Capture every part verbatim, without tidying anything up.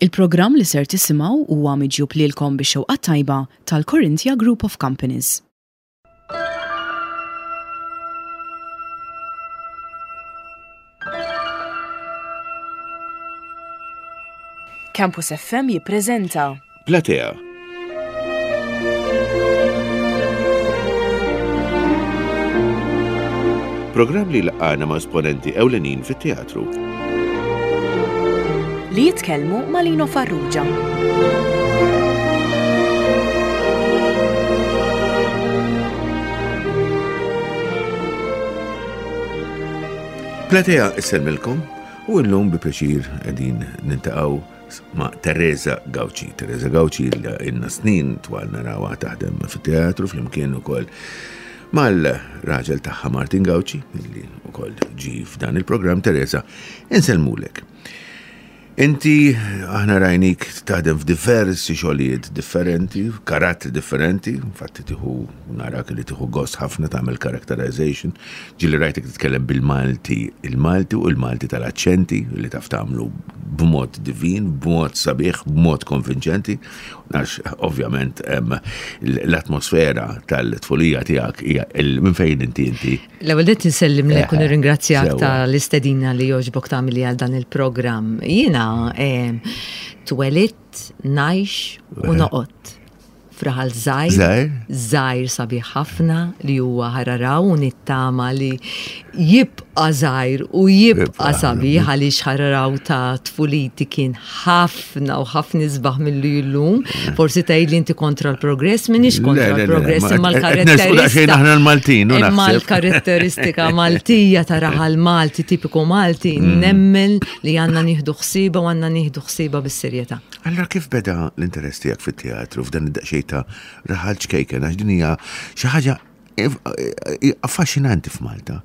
Il-programm li ser tisimgħu huwa miġjub lilkom bix-xewqa tajba tal-Corinthia Group of Companies. Campus F M jippreżenta Platea. Programm li laqana ma' esponenti ewlenin fit-teatru. Li jitkellmu ma' Lino Farrugia. Platea issellmilkom u llum bi pjaċir qegħdin niltaqgħu ma' Teresa Gauci. Teresa Gauci ilna snin twal narawha taħdem fit-teatru flimkien ukoll mal-raġel tagħha Martin Gauci, illi ukoll ġi f'dan il-programm. Teresa, insellmulek. Inti aħna rajnik taħdem f'diversi xogħlijiet differenti, karattri differenti, infatti tieħu narak li tieħu gost ħafna tagħmel characterization. Ġieli rajtek titkellem bil-Malti, il-Malti u l-Malti tal-aċċenti li taf tagħmlu b'mod divin, b'mod sabiħ, b'mod konvinċenti. Għax ovvjament l-atmosfera tal-tfulija tiegħek hija minn fejn inti inti. L-ewwel nett insellimlek u nirringrazzjak tal-istedina li jogħġbok tagħmilli għal dan il-programm. Jiena twelidt, ngħix u noqgħod f'raħal żgħir, żgħir sabiħ ħafna li huwa Ħararaw, u nittama li jibqa' żgħir u jibqa' sabiħ, għaliex Ħararaw ta' tfuliti kien ħafna u ħafna isbaħ milli llum. Forsi tgħid li inti kontra l-progress, m'iniex kontra l-progress, imma l-karatteristika aħna l-Maltin, imma l-karatteristika Maltija ta' raħal Malti, tipiku Malti, nemmen li għandna nieħdu ħsieba u għandna nieħdu ħsieba bis-serjetà. Allora kif beda l-interess tiegħek fit-teatru f'dan id-daqsxejn ta' raħal ċkejken, għax din hija xi ħaġa affaxxinanti f'Malta?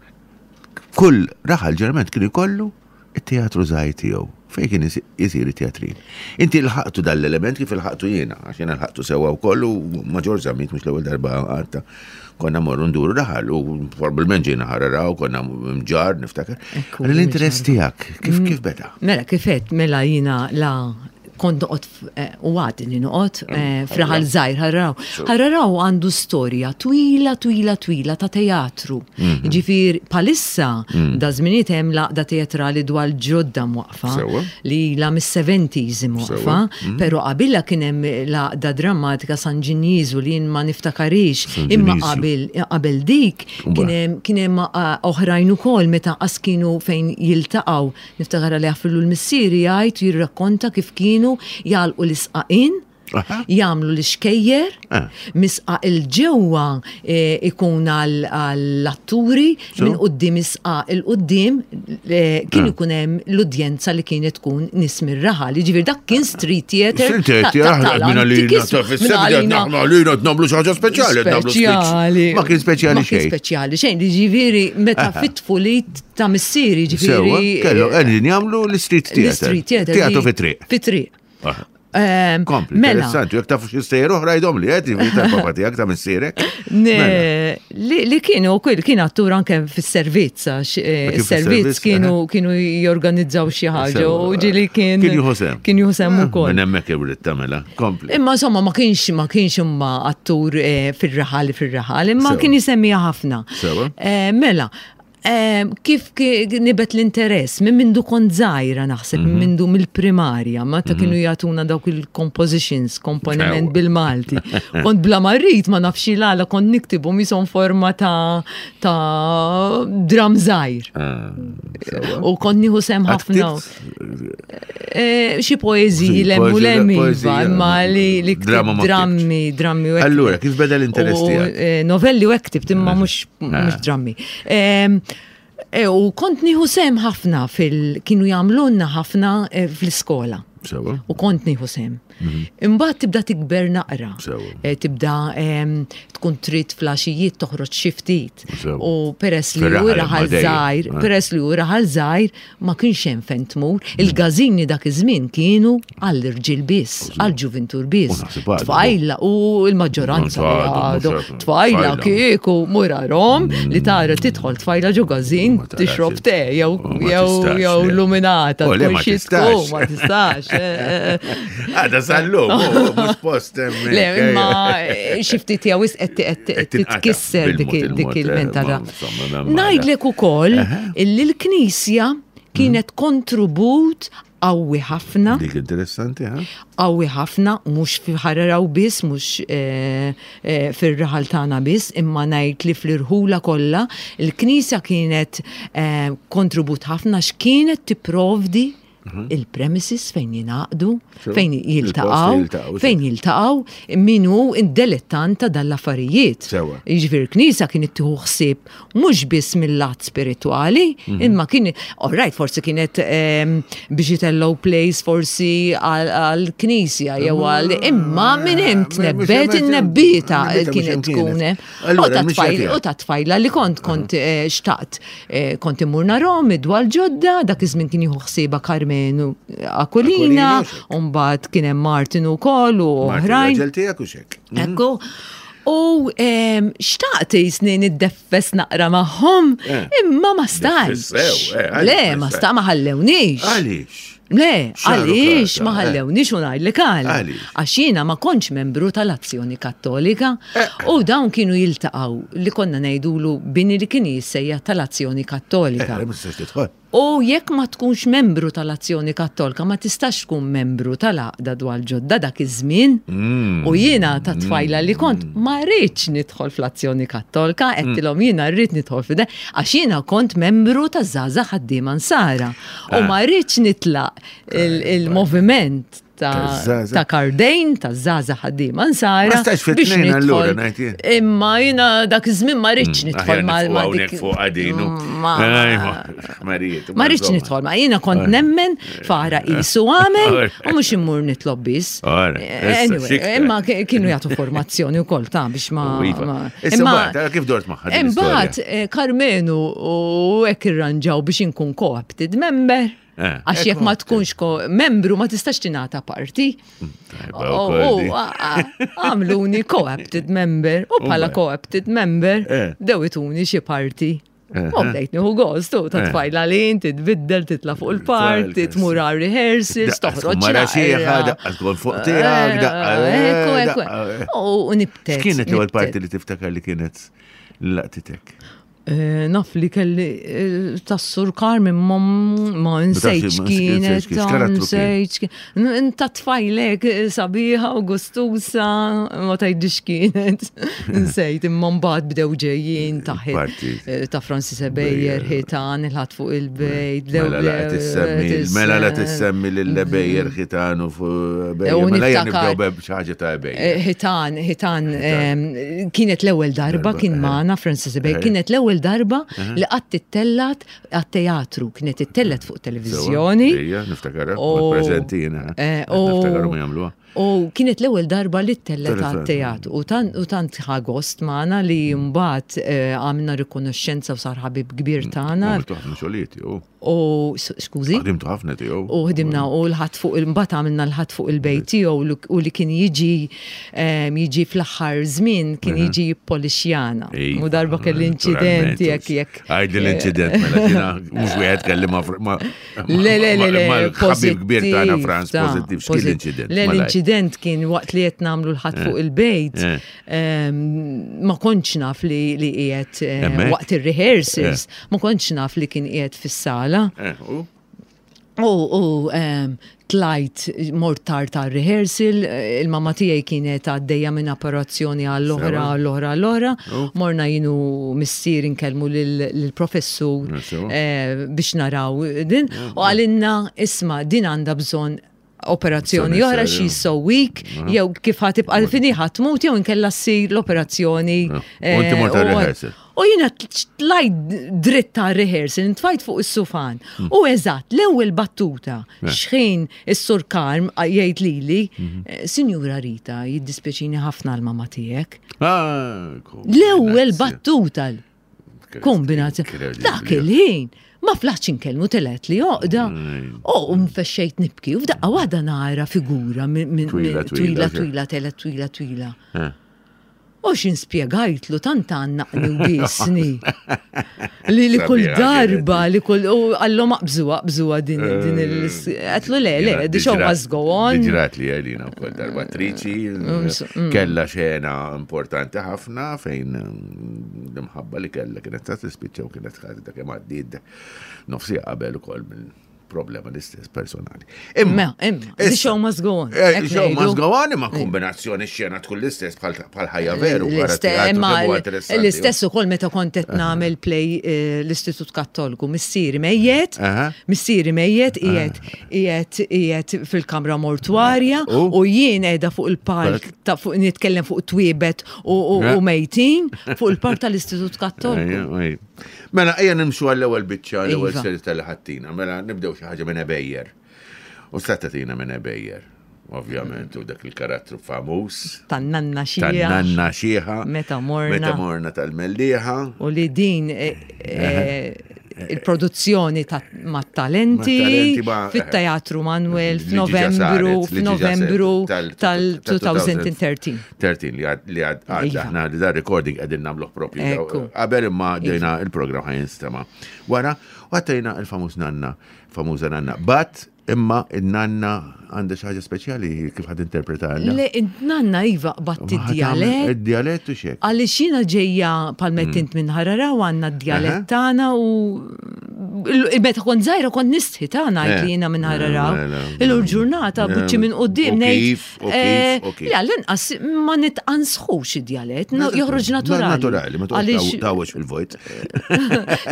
Kull raħal ġeneralment kien ikollu it-teatru żgħir tiegħu fejn kien isir it-teatrin. Inti lħaqtu dal-element kif ilħaqtu jiena, għax jiena lħaqtu sewwa wkoll u ma' George Zammit mhux l-ewwel darba għadta konna morru nduru raħal u probabbilment ġejna Ħararaw, konna Mġarr niftakar. L-interess tiegħek kif kif beda? Mela kif għedt, mela jiena la kont noqgħod u għadni noqgħod f'raħal żgħir Ħararaw. Ħararaw għandu storja twila, twila, twila ta' teatru. Ġifier palissa da żminijiet hemm l-għaqda teatrali dwar ġodda mwaqfa li la mis-seventies mwaqfa, però qabilha kien hemm l-għaqda drammatika San Ġinjiżu li jien ma niftakarix, imma qabel qabel dik kien hemm oħrajn ukoll meta qas kienu fejn jiltaqgħu. Niftakar li għafillu l-missieri jgħid jirrakkonta kif kienu jgħalqu l-isqaqin, jagħmlu l-ixkejjer, misqaq il-ġewwa ikun għall-atturi, minn quddiem isqaq il-quddiem kien ikun hemm l-udjenza li kienet tkun nies mir-raħal. Jiġifieri dak kien street theater. Street theater, minn għalina għalina nagħmlu xi ħaġa speċjali, speċjali. Ma kien speċjali Ma kien xejn. Speċjali xejn, jiġifieri meta fit-tfulit ta' missieri, jiġifieri. Kellu qegħdin jagħmlu l-street theater. L-street theater. Teatru fit-triq. Fit-triq. Kompli, Mela. Interessanti, jekk tafu xi stejjer oħra jgħidhom li qed tal-papa tiegħek ta' missierek. Li kienu kull kien attur anke fis-servizz, għax is-servizz kienu kienu jorganizzaw xi ħaġa u ġieli kien Kien jieħu sehem. Kien jieħu sehem ukoll. Minn hemmhekk irid tagħmilha. Kompli. Imma insomma ma kienx ma kienx imma attur fir-raħal fir-raħal, imma kien jisemmiha ħafna. Mela, kif nibet l-interess, minn mindu kont żgħira naħseb, minn mindu mill-primarja, meta kienu jagħtuna dawk il-compositions, komponiment bil-Malti. Kont bla ma rrid, ma nafx il-għala, kont niktibu misom forma ta' ta' dram żgħir. U kont nieħu sehem ħafna. Xi poeżiji l hemm u l hemm iva, imma li drammi, drammi u hekk. Allura, kif beda l-interess tiegħek? Novelli u hekk ktibt, imma mhux drammi. U kont nieħu sehem ħafna fil kienu jagħmlulna ħafna fl-iskola. U kont nieħu sehem. Imbagħad tibda tikber naqra. Tibda tkun trid flaxijiet toħroġ xi ftit. U peress li hu raħal żgħir, peress li hu raħal żgħir ma kienx hemm fejn tmur. Il-gażini dak iż-żmien kienu għall-irġiel biss, għall-ġuvintur biss. Tfajla u l-maġġoranza għadu. Tfajla kieku murarhom li tara tidħol tfajla ġo gażin tixrob te jew jew luminata. Ma tistax. Ma tistax. Għada sal-lum, mhux post hemmhekk. Le, imma xi ftit hija wisq qed titkisser dik il-mentalità. Ngħidlek ukoll illi l-Knisja kienet kontribut qawwi ħafna. Dik interessanti, ha? Qawwi ħafna, mhux fi Ħar Għargħur biss, mhux fir-raħal tagħna biss, imma ngħid li fl-irħula kollha, il-Knisja kienet kontribut ħafna x'kienet tipprovdi il-premises fejn jingħaqdu, fejn jiltaqgħu, fejn jiltaqgħu min hu dilettant ta' dal-affarijiet. Jiġifieri l-Knisja kienet tieħu ħsieb mhux biss mill-lat spiritwali, imma kien, all right, forsi kienet biex itellgħu plays forsi għall-Knisja jew għal imma minn hemm tnebbet in-nebbieta kienet tkun. U ta' tfajla li kont kont xtaqt kont immur narahom id-dwal ġodda, dak iż-żmien kien jieħu ħsiebha Karmenu Aquilina, u mbagħad kien hemm Martin ukoll u oħrajn. Ekku. U xtaqt jisni niddeffes naqra magħhom, imma ma stajtx. Le, ma sta ma ħallewniex. Għaliex? Le, għaliex ma ħallewniex u ngħidlek għal. Għax jiena ma kontx membru tal-Azzjoni Kattolika u dawn kienu jiltaqgħu li konna ngħidulu bini li kien jissejjaħ tal-Azzjoni Kattolika. U jekk ma tkunx membru tal-Azzjoni Kattolika, ma tistax tkun membru tal-Għaqda Dwal Ġodda dak iż-żmien. U jiena ta' tfajla li kont ma rridx nidħol fl-Azzjoni Kattolika, għedtilhom jiena rrid nidħol fide, għax jiena kont membru ta' Żgħażagħ Ħaddiema Nsara. U ma rridx nitlaq il-moviment ta' Kardejn, ta' Żgħażagħ Ħaddiema Nsara. Ma stax fit-tnejn allura ngħid jien. Imma jiena dak iż-żmien ma rridx nidħol ma' dik. Fuq għadinu. Ma rridx nidħol ma' jiena kont nemmen fara qisu għamel u mhux immur nitlob biss. Imma kienu jagħtu formazzjoni wkoll ta' biex ma. Imma kif dort magħha? Imbagħad Karmenu u hekk irranġaw biex inkun co-opted member. Għax jekk ma tkunx membru ma tistax tingħata parti. Għamluni co-opted member u bħala co-opted member bdew ituni xi parti. U bdejt nieħu gost ta' tfajla li inti tbiddel titla' fuq il-parti, tmur għal rehearsals, toħroġ. Mara xieħa, daqqa tkun fuq tiegħek, daqqa. U nibtet. X'kienet l-ewwel parti li tiftakar li kienet laqtitek? Naf li kelli tas-Sur Carmen ma nsejtx kienet, nsejtx ta' tfajlek sabiħa u gustusa, ma tgħidix kienet, nsejt, imma mbagħad bdew ġejjin ta' ta' Francis Ebejer, ħitan, il-ħadd fuq il-bejt. Mela la tissemmi, mela la tissemmi lil Ebejer ħitan u fuq Ebejer. Mela nibdew b'xi ħaġa ta' Ebejer. Ħitan, ħitan, kienet l-ewwel darba kien magħna Francis Ebejer, kienet l-ewwel darba li qatt ittellat għat-teatru, kienet ittellat fuq televizjoni. Ija, niftakarha, preżenti jiena. Niftakarhom jagħmluha. U kienet l-ewwel darba li ttellat għat-teatru u tant ħa gost magħna li mbagħad għamilna rikonoxxenza u sar ħabib kbir tagħna. Għamiltu ħafna xogħlijiet tiegħu. U skużi? Ħdimtu ħafna tiegħu. U ħdimna u l-ħadd fuq imbagħad għamilna l-ħadd fuq il-bejt tiegħu u li kien jiġi jiġi fl-aħħar żmien kien jiġi jippolixjana. U darba kelli inċident jekk jekk. Għajdi l-inċident mela jiena mhux wieħed kelli ma' Le le le le ħabib kbir tagħna Franz pożittiv x'kien l-inċident. Le l-inċident kien waqt li qed nagħmlu l-ħadd fuq il-bejt ma kontx naf li qiegħed waqt ir-rehearsals ma kontx naf li kien qiegħed fis-sala. U tlajt mort tard ta' rehearsal, il-mama tiegħi kienet għaddejja minn operazzjoni għall-oħra, għall-oħra, għall-oħra. Morna jien u missier inkellmu lill-professur biex naraw din. U għalinna, isma' din għandha bżonn operazzjoni oħra, she's so weak, jew kif ħa tibqa' fini ħa tmut jew inkella ssir l-operazzjoni. U inti mort rehearsal. U jiena tlajt dritt ta' rehearsal, intfajt fuq is-sufan. U eżatt, l-ewwel battuta, xħin is-Sur Karm jgħid lili, Sinjura Rita, jiddispjaċini ħafna l-mama tiegħek. L-ewwel battuta kombinazzjoni. Dak il-ħin. Ma flaħx inkellmu telet li joqda. U mfexxejt nibki. U f'daqqa waħda nara figura twila, twila, telet, twila, twila. U xin spjegajtlu tant għannaqni u biesni. Li li kull Sabiħa darba, li kull, u għallu maqbżuwa, qbżuwa din din il Għedtlu le, le, the show must go on. Ġrat li għalina u kol darba attriċi, mm. kella xena importanti ħafna fejn mm, l-imħabba li kella kienet ta' tispiċċa u kienet ħadet dak kemm għaddiet nofsi qabel ukoll minn problema l-istess personali. Imma, imma, the show must go on. Eh, Hekk The show ngħidu. must go on, imma kombinazzjoni xena tkun l-istess bħal bħal ħajja veru. wara L-istess, teatru imma kemm huwa interessanti. l-istess ukoll meta kont qed nagħmel play eh, l-Istitut Kattoliku, missieri mejjet, Aha. missieri mejjet qiegħed qiegħed qiegħed fil-kamra mortwarja U? u jien qiegħda fuq il-palk ta' fuq nitkellem fuq twiebet u u- Ja. u mejtin fuq il-palk tal-Istitut Kattoliku. Ejja, ejja. Mela, ejja nimxu għall-ewwel biċċa, l-ewwel Iva. seri tal-ħattina. Mela, nibdew xi ħaġa minn Ebejjer. U stattatina minn Ebejjer, ovvjament, u dak il-karattru famuż. Tan-nanna xija. Tan-nanna xieħa. Meta morna. Meta morna tal-Mellieħa. U li din eh, eh, il-produzzjoni ta' mat-talenti Mat-talenti ma- fit-Teatru Manuel Li diġà f'Novembru saret, li diġà f'Novembru saret tal-elfejn u tlettax. tlettax li għad li għad għad Iva. aħna li da recording qegħdin nagħmluh propju. Ekku. Qabel imma dejna il-programm ħa jinstema'. Wara, u għattajna il-famuż nanna, famuża nanna. But imma il-nanna għandha xi ħaġa speċjali kif ħad interpreta Le, nanna iva qbatt id-djalett. Id-djalett u xek. Għaliex jiena ġejja palmettint minn Ħarara u għandna d-djalett Aha. tagħna u il- meta kont żgħira kont nistħi tagħna ngħid li jiena minn Ħarara. Mela. Illum ġurnata buċċi minn quddiem U ngħid. kif, u kif, eh, u kif. Le, l-inqas ma nitqansħux id-djalett, no- joħroġ naturali. Naturali, ma Għaliex- toqgħodx tawwex fil-vojt.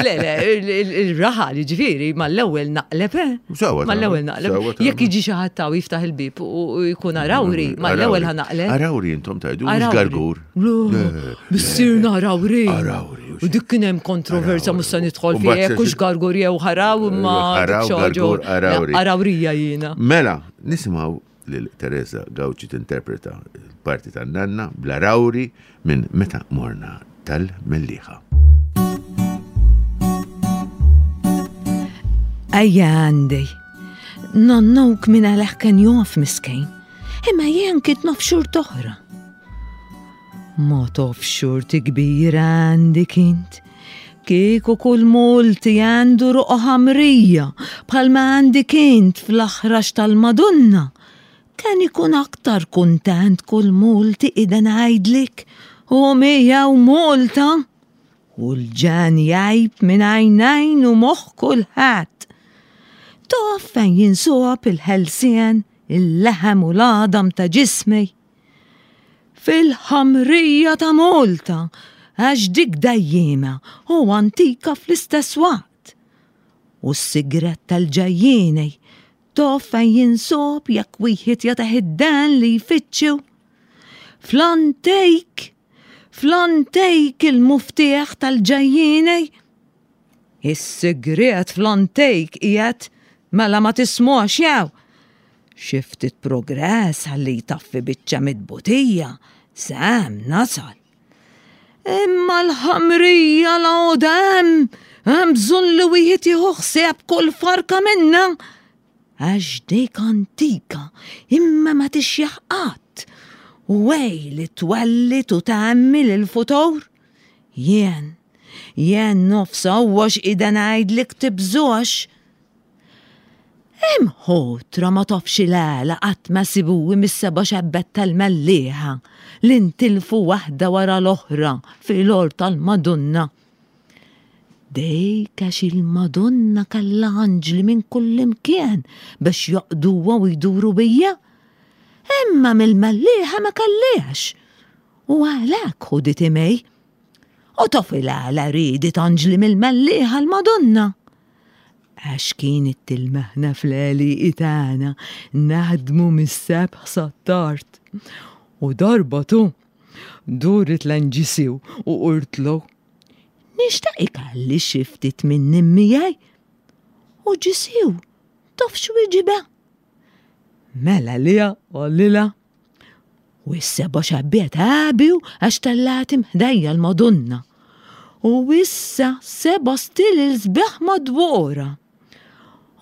Le, le, il- il- il-raħal, ġifieri, mal-ewwel naqleb, eh? Sewa tagħmel, Mal-ewwel naqleb. sewa tagħmel. Jekk jiġi xi ħadd taw jiftaħ il-bib u u jkun arawri, mal-ewwel ħa naqleb. Arawri intom tajdu, mhux Arawri. gargur. Le, Missierna arawri. Arawri, u U dik kien hemm kontroversja Arawri. mhux se nidħol U fiha mbagħad jekk hux gargur jew ħaraw imma Ħaraw, dik xi ħaġa- gargur, arawri. Arawrija jiena. Mela, nisimgħu lil Teresa Gauci tinterpreta l-parti tan-nanna bl-arawri minn Meta Morna tal-Mellieħa. Ejja għandi. Nonnuk minn għaleħ kien jof miskin. Imma jien kint nof xurt oħra. Ma tof xurti kbira għandi kint. Kieku kull multi għandu ruqo ħamrija bħalma għandi kint fl-aħrax tal-Madonna. Kien ikun aktar kuntent kull multi ida ngħidlik u mija u multa. U l-ġan jgħib minn għajnejn u moħħ kulħadd. Tof fejn jinsob il-ħelsien, il-leħem u l-għadam ta' ġismi. Fil-ħamrija ta' Malta, għax dik dajjima u antika fl-istess waqt. U s-sigret tal-ġajjieni, tof fejn jinsob jekk wieħed jagħtih id-dan li jfittxu. Fl-antejk, fl-antejk il-muftieħ tal-ġajjieni. Is-sigriet fl-antejk qiegħed mela ma tismux jew. Xi ftit progress ħalli jtaffi biċċa mid-butija, sam nasal. Imma l-ħamrija la hemm, hemm bżonn li wieħed jieħu ħsieb kull farka minna. Għax dik antika, imma ma tixjaħ qatt. U ej li twellit u tagħmel il-futur. Jien, jien nofsa għax ida ngħidlek tibżux. Imħotra ma tafx il-għala qatt ma sibuwi mis-seba' xebbet tal-Mellieħa li ntilfu waħda wara l-oħra fil-or tal-Madonna. Dejk għax il-Madonna kalla anġli minn kull imkien biex joqduwa u jduru bija. Imma mill-Mellieħa ma kelliex. U għalhekk ħudit imej. U tof il-għala ridet anġli mill-Mellieħa l-Madonna. Għax kienet tilmaħna fl-għeli tagħna naħdmu mis-sebħ sat-tard. U darba tu, durit l-anġisiw u qurtlu. Nixtaq ikalli xi ftit minn miegħi. U ġisiw, taf x'wieġiba. Mela lija għallila. U s-seba xabbiet għabiw għax tallatim ħdejja l-Madonna. U issa seba stil il-sbeħ madwora.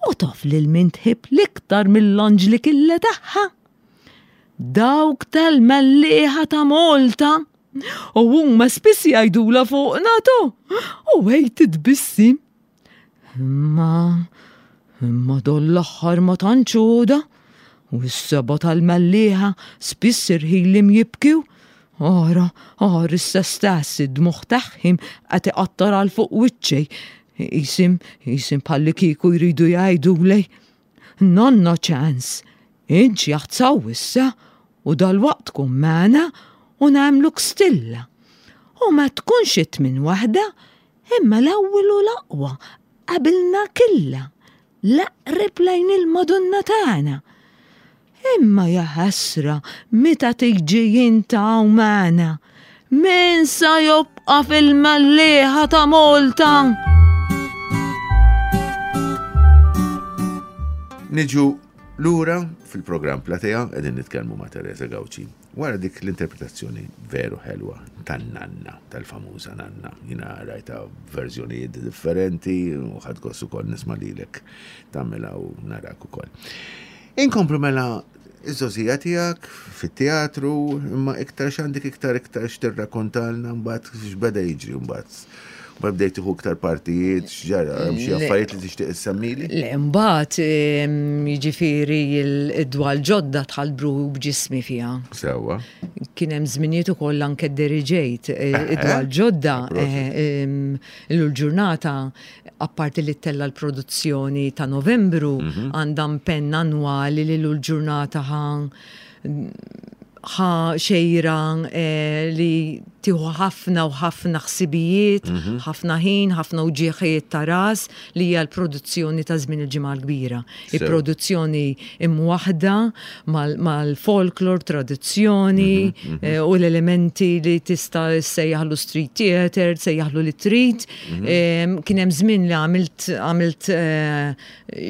U taf lil min tħib l-iktar mill-anġli killa tagħha. Dawk tal-Mellieħa ta' Malta. U huma spiss jgħidula fuq nato. U għej titbissim. Imma, imma don l-aħħar ma tantx U s-seba tal-Mellieħa spiss irħilim jibkiw. Ara, ara issa stess id-dmugħ tagħhim qed iqattar għal fuq wiċċej. Isim, isim palli kieku jridu jgħiduli. Nonna ċans, int jaħtsaw issa u dal-waqt tkun magħna u nagħmluk stilla. U ma tkunx it-tmien waħda, imma l-ewwel u l-aqwa qabilna killa, l-aqreb lejn il-Madonna tagħna. Imma ja ħasra meta tiġi int hawn magħna. Min sa jobqa' fil-Mellieħa ta' Malta? Niġu lura fil-programm Platea qegħdin nitkellmu ma' Teresa Gauci. Wara dik l-interpretazzjoni veru ħelwa tan-nanna, tal-famuża nanna. Jiena rajta verżjonijiet differenti u ħadt gost ukoll nisma' lilek tagħmilha u narak ukoll. Inkomplu mela iż-żgħożija tiegħek fit-teatru, imma iktar x'għandek iktar iktar x'tirrakkontalna mbagħad x'beda jiġri mbagħad. Ma bdejt tieħu iktar partijiet, x'ġara, hemm xi affarijiet li tixtieq issemmili? Le, mbagħad jiġifieri id-dwal ġodda dħalt bruħi b'ġismi fiha. Sewwa. Kien hemm żminijiet ukoll anke deriġejt id-dwal ġodda l-ġurnata apparti li ttella l-produzzjoni ta' Novembru għandha impenn annwali li l-ġurnata ħa ħa xejra li tieħu ħafna u ħafna ħsibijiet, ħafna ħin, ħafna uġieħijiet ta' ras li hija l-produzzjoni ta' żmien il-Ġimgħa l-Kbira. Il-produzzjoni imwaħda mal-folklor, tradizzjoni u l-elementi li tista' sejjaħlu street theater, sejjaħlu li trid. Kien hemm żmien li għamilt għamilt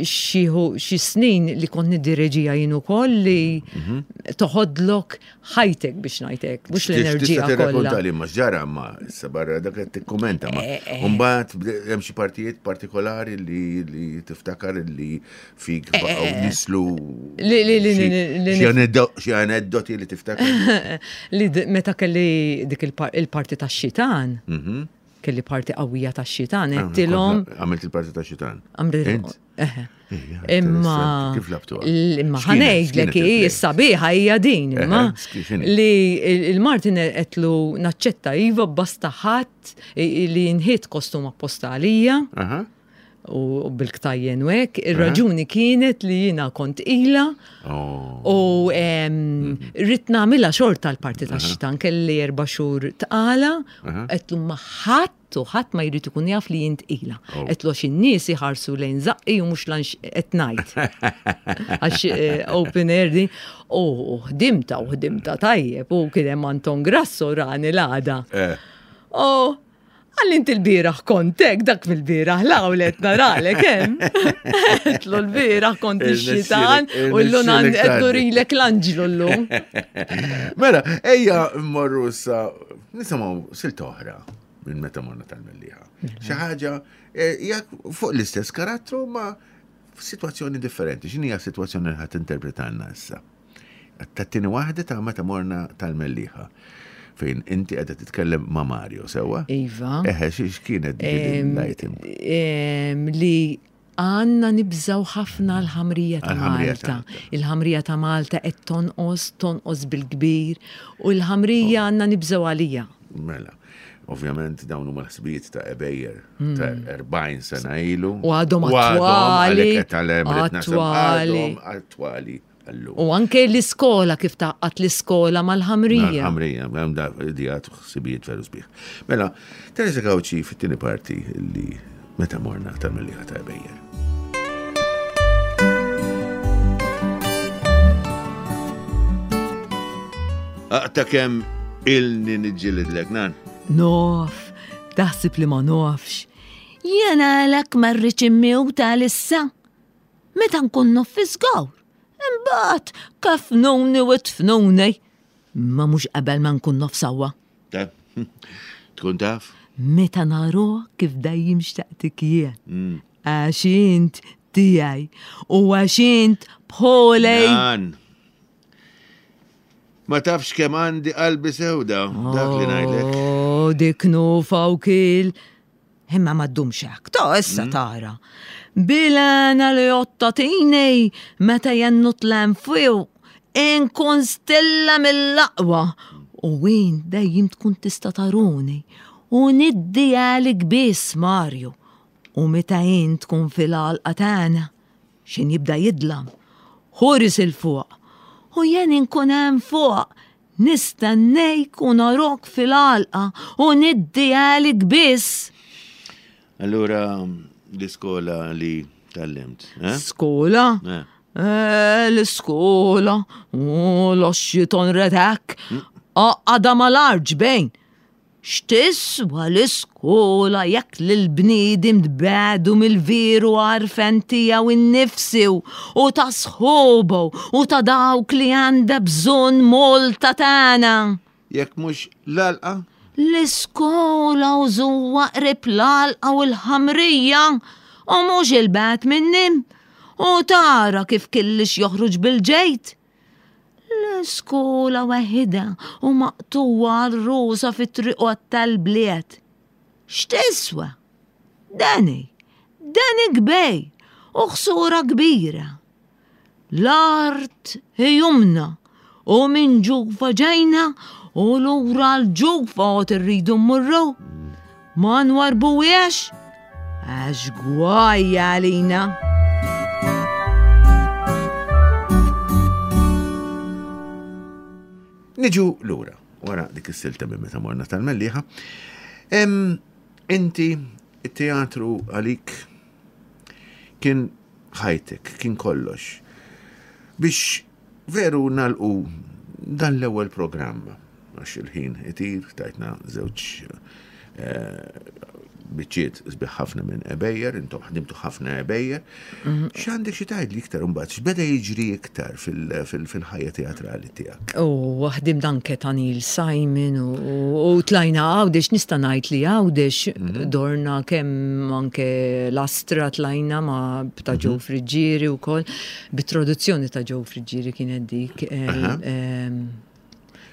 xi snin li kont niddireġija jien ukoll li toħodlok ħajtek biex ngħidlek, mhux l-enerġija kollha. Li ma ġara ma issa barra dak qed tikkumenta ma. Mbagħad hemm xi partijiet partikolari li li tiftakar li fik baqgħu nislu xi aneddoti li tiftakar. Li meta kelli dik il-parti tax-xitan. Kelli parti qawwija tax-xitan, għedtilhom. Għamilt il-parti tax-xitan. Imma kif labtuha? Imma ħanejdlek hi s-sabiħa hija din, imma li il-Martin qedlu naċċetta iva basta ħadd li nħiet kostum apposta għalija u bil-ktajjen u hekk. Ir-raġuni kienet li jiena kont ilha u rrid nagħmilha xorta l-parti tax-xitan, kelli erba' xhur tqala, qedlu ma ħadd u ħadd ma jrid ikun jaf li jint ilha. Qedlu għax in-nies iħarsu lejn żaqqi u mhux lanx qed ngħid. Għax open air din u ħdimta u ħdimta tajjeb u kien hemm Anton Grasso rani l-għada. U għalli inti l-bieraħ kontek, dak mill-bieraħ l-għawlet naralek hemm. Għedtlu l-bieraħ kont ix-xitan u llum qed nurilek l-anġlu llum. Mela, ejja mmorru issa nisimgħu silta oħra minn meta morna tal-Mellieħa. Xi ħaġa hija fuq l-istess karattru ma f'sitwazzjoni differenti. X'inhi hija sitwazzjoni li ħadd interpretanna issa? Tat-tieni waħda ta' meta morna tal-Mellieħa. Fejn inti qiegħda titkellem ma' Mario, sewwa? Iva. Eħe, x'kienet dik l-item? Li għandna nibżaw ħafna l-ħamrija ta' Malta. Il-ħamrija ta' Malta qed tonqos, tonqos bil-kbir, u l-ħamrija għandna nibżaw għalija. Mela, ovvjament dawn huma l-ħsibijiet ta' Ebejer ta' erbgħin sena ilu. U għadhom attwali. Attwali. Attwali. U anke l-iskola, kif taqqat l-iskola mal-ħamrija. Mal-ħamrija, hemm da idejat u ħsibijiet veru sbieħ. Mela, Teresa Gauci fit-tieni parti li meta morna tal-Mellieħa ta' Ebejer. Aqta kemm ilni niġġilidlek, nan? Nof, taħseb li ma nofx. Jena għalek ma rridx immiwta issa. Meta nkun nof fi żgawr. Imbagħad kafnuni u tfnuni. Ma mhux qabel ma nkun nof sewwa. Tkun taf? Meta naruh kif dejjem xtaqtik jien. Għax int tiegħi u għax int bħolej. Nan. Ma tafx kemm għandi qalbi sewda, dak li ngħidlek. Oh, dik nufa u kil. Imma ma ddumx hekk, ta' issa tara. Bilena li ottatini meta jennu tlam fiw, inkun stilla mill-aqwa. U wien dejjem tkun tista' taruni. U niddi għalik biss, Mario. U meta jien tkun fil-għalqa tagħna, xin jibda jidlam. Ħoris il-fuq. U jien inkun hemm fuq. Nistennejk u narok fil-għalqa u niddi għalik biss. Allura, l-iskola li tgħallimt, eh? Skola? Eh. Eh, l-iskola. U l-oxxiton redek. Għada mal-arġ bejn. X'tiswa l-iskola jekk l-bniedem tbegħdu mill-veru għarfen tiegħu innifsu u ta' sħobu u ta' dawk li għandha bżonn Malta tagħna. Jekk mhux l-għalqa? L-iskola użuwa qrib l-għalqa u l-ħamrija u mhux il-bat minnim u tara kif killix joħroġ bil-ġejt. L-iskola waħida u maqtuwa r-rusa fit-triqot tal-bliet. X'tiswa? Dani, dani kbej u ħsura kbira. L-art jumna u minn ġufa ġejna u lura l-ġufa u irridu mmorru. Ma nwarbuwiex għax gwajja għalina. Niġu lura, wara dik is-silta minn meta morna tal-Mellieħa. Em, Inti, it-teatru għalik kien ħajtek, kien kollox. Biex veru nalqu dan l-ewwel programm, għax il-ħin itir, tajtna żewġ eh, biċċiet sbieħ ħafna minn Ebejjer, intom ħdimtu ħafna Ebejjer. X'għandek xi tgħid li iktar imbagħad, x'beda jiġri iktar fil- fil- fil-ħajja teatrali tiegħek? U ħdimt anke ta' Neil Simon u, u tlajna Għawdex, nista' ngħid li Għawdex dorna kemm anke l-Astra tlajna ma' ta' Joe Friggieri u koll, bit-traduzzjoni ta' Joe Friggieri kienet dik. el- em,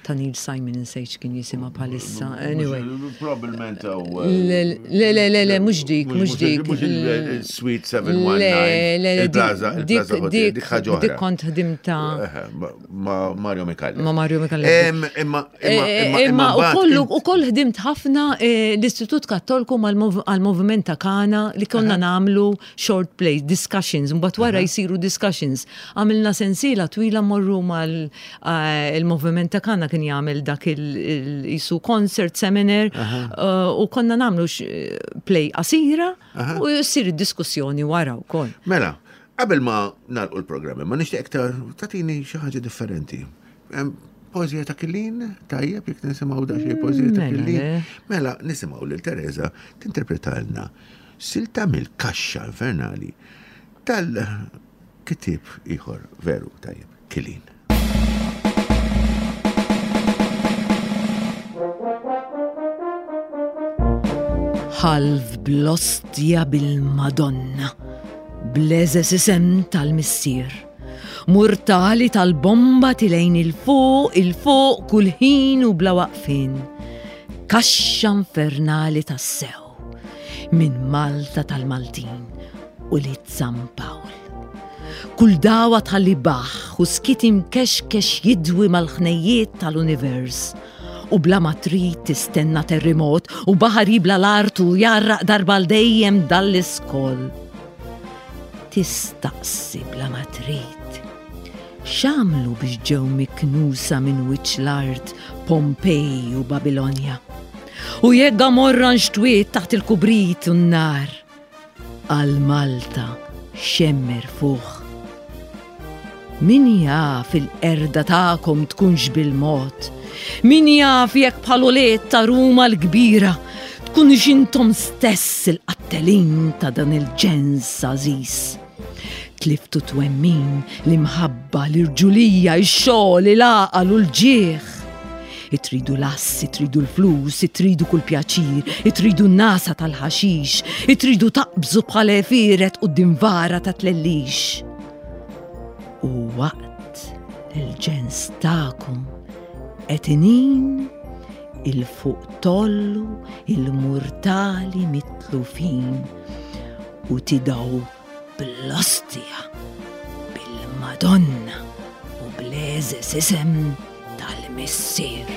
Ta' Neil Simon insejt kien jisimha bħalissa. Anyway. Probabilment Le, le, le, le, le, mhux dik, mhux dik. Mhux il-Suite seven one nine. Le, le, le, Il-Plaza, dik- il-Plaza Hotel, dik- dik ħaġa Dik oħra. kont ħdimta Eħe, ma- Ma Mario Micallef. ma' Mario Micallef. Em, Imma, imma, imma, Imma u mbagħad kollu int- u koll ħdimt ħafna eh, l-Istitut Kattolku għal-moviment ta' Kana li konna namlu short play, discussions, mbagħad wara jsiru discussions. Għamilna sensiela twila morru mal-moviment ta' Kana kien jagħmel dak il-jisu concert seminar eh, u konna namlu x- play qasira u jsir id-diskussjoni wara wkoll. Mela, qabel ma nagħlqu l-programm, ma nixtieq iktar tagħtini xi ħaġa differenti. Em, Poeżija ta' Killin, tajjeb jekk nisimgħu da xi poeżija ta' Mela, Killin. le. Mela, nisimgħu lil Teresa tinterpretalna silta mill-kaxxa infernali tal-kitib ieħor veru tajjeb, Killin. Ħalf bl-ostja bil-Madonna, bleżes isem tal-missier. Murtali tal-bomba tilejn il-fuq, il-fuq kull ħin u bla waqfin. Kaxxa infernali tas-sew, minn Malta tal-Maltin u li San Pawl. Kull dawa tħalli baħ u skit imkexkex jidwi mal-ħnejjiet tal-univers. U bla ma trid tistenna terremot u baħar jibla l-art u jarraq darba l dejjem dall-iskol. Tistaqsi bla ma trid. X'għamlu biex ġew miknusa minn wiċċ l-art Pompej u Babilonja? U jekk Gomorra nxtwiet taħt il-kubrit u n-nar. Għal Malta xemmer fuq. Min jaf il-erda ta'kom tkunx bil-mod? Min jaf jekk bħal ta' Ruma l-kbira tkunx intom stess il-qattelin ta' dan il-ġens għażiż? Tliftu twemmin l-imħabba, l-irġulija, ix-xogħol, il-għaqal u l-ġieħ. Itridu l-ass, itridu l-flus, itridu kull pjaċir, itridu n-nasa tal-ħaxix, itridu taqbżu bħal għefieret quddiem vara ta' tlellix. U waqt il-ġens ta'kom Qed inin il-fuq tollu il-murtali mitlufin u tidaw bl-ostja, bil-Madonna u bl-eżes isem tal-Missier.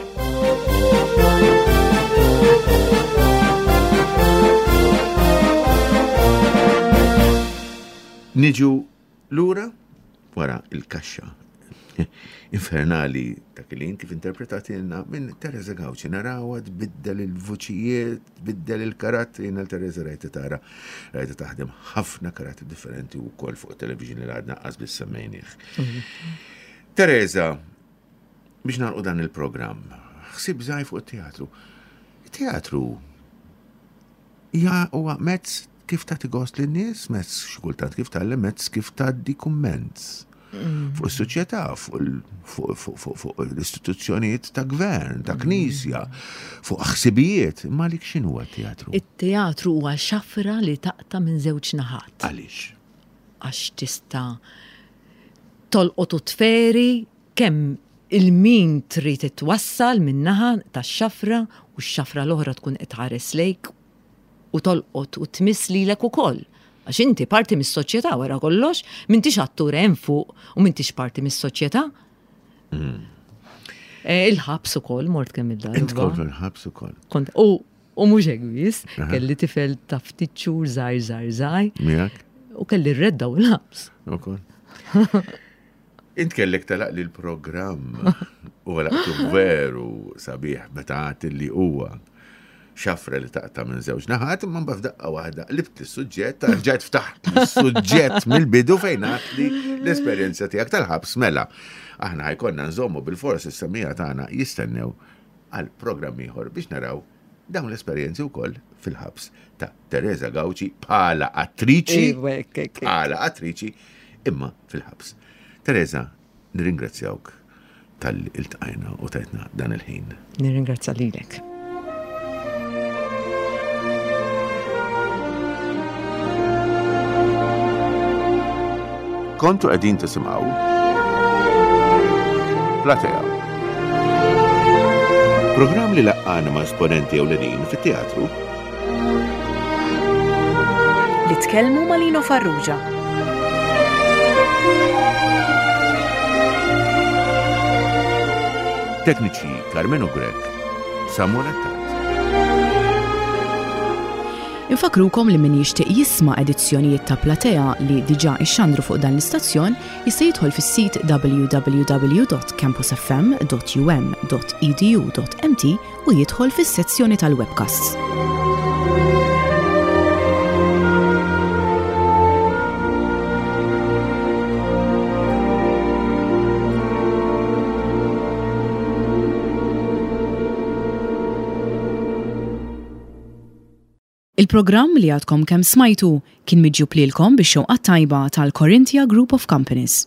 Niġu lura wara il-kaxxa infernali ta' Kilin kif interpretatilna minn Teresa Gauci. Narawha tbiddel il-vuċijiet, tbiddel il-karattri. Jiena Teresa rajta tara, rajta taħdem ħafna karattri differenti u kol fuq television li għadna qas biss semmejnieh. Teresa, biex nagħlqu dan il-programm, ħsib żgħir fuq it-teatru. Il-teatru ja huwa mezz kif tagħti gost lin-nies, mezz xi kultant kif tgħallem, mezz kif tgħaddi kumment fuq is-soċjetà, fuq l-istituzzjonijiet ta' gvern, ta' knisja, fuq ħsibijiet. Ma lik x'inhu t-teatru? It-teatru huwa xafra li taqta' minn żewġ naħat. Għaliex? Għax tista' tolqot u tferi kemm il-min trid titwassal min-naħa tax-xafra u x-xafra l-oħra tkun qed tħares lejk u tolqot u tmiss lilek ukoll. Għax inti parti mis-soċjetà wara kollox, m'intix attur hemm fuq u m'intix parti mis-soċjetà. Eh, Il-ħabs ukoll mort kemm Int il-darba. kont il-ħabs ukoll. Kont u u mhux hekk biss, kelli tifel ta' ftit xhur żgħir żgħir żgħir Miegħek u kelli rredda u l-ħabs. ukoll. Int kellek talaq li l-programm u għalaqtu veru sabiħ meta għat li huwa xafra li taqta' minn żewġ naħat, imma mbagħad f'daqqa waħda qlibt is-suġġett, rġajt ftaħt is-suġġett mill-bidu fejn għat li l-esperjenza tiegħek tal-ħabs mela. Aħna ħa jkollna nżommu bil-fors is-semmiegħa tagħna jistennew għal programm ieħor biex naraw dawn l-esperjenzi wkoll fil-ħabs ta' Teresa Gauci bħala attriċi Iva, hekk, hekk, hekk. bħala attriċi imma fil-ħabs. Teresa, nirringrazzjawk talli iltqajna u tajtna dan il-ħin. Nirringrazzja lilek. Kontu qegħdin tisimgħu Platea. Programm li laqqana ma' esponenti ewlenin fit-teatru Li tkellmu ma' Lino Farrugia. Tekniċi Carmenu Grech, Samuel Attard. Infakrukom li min jixtieq jisma' edizzjonijiet ta' Platea li diġà ixxandru fuq dan l-istazzjon jista' jidħol fis-sit w w w dot campusfm dot um dot edu dot m t u jidħol fis-sezzjoni tal-webcasts. Il-programm li għadkom kemm smajtu kien miġjub lilkom bix-xewqa tajba tal-Corinthia Group of Companies.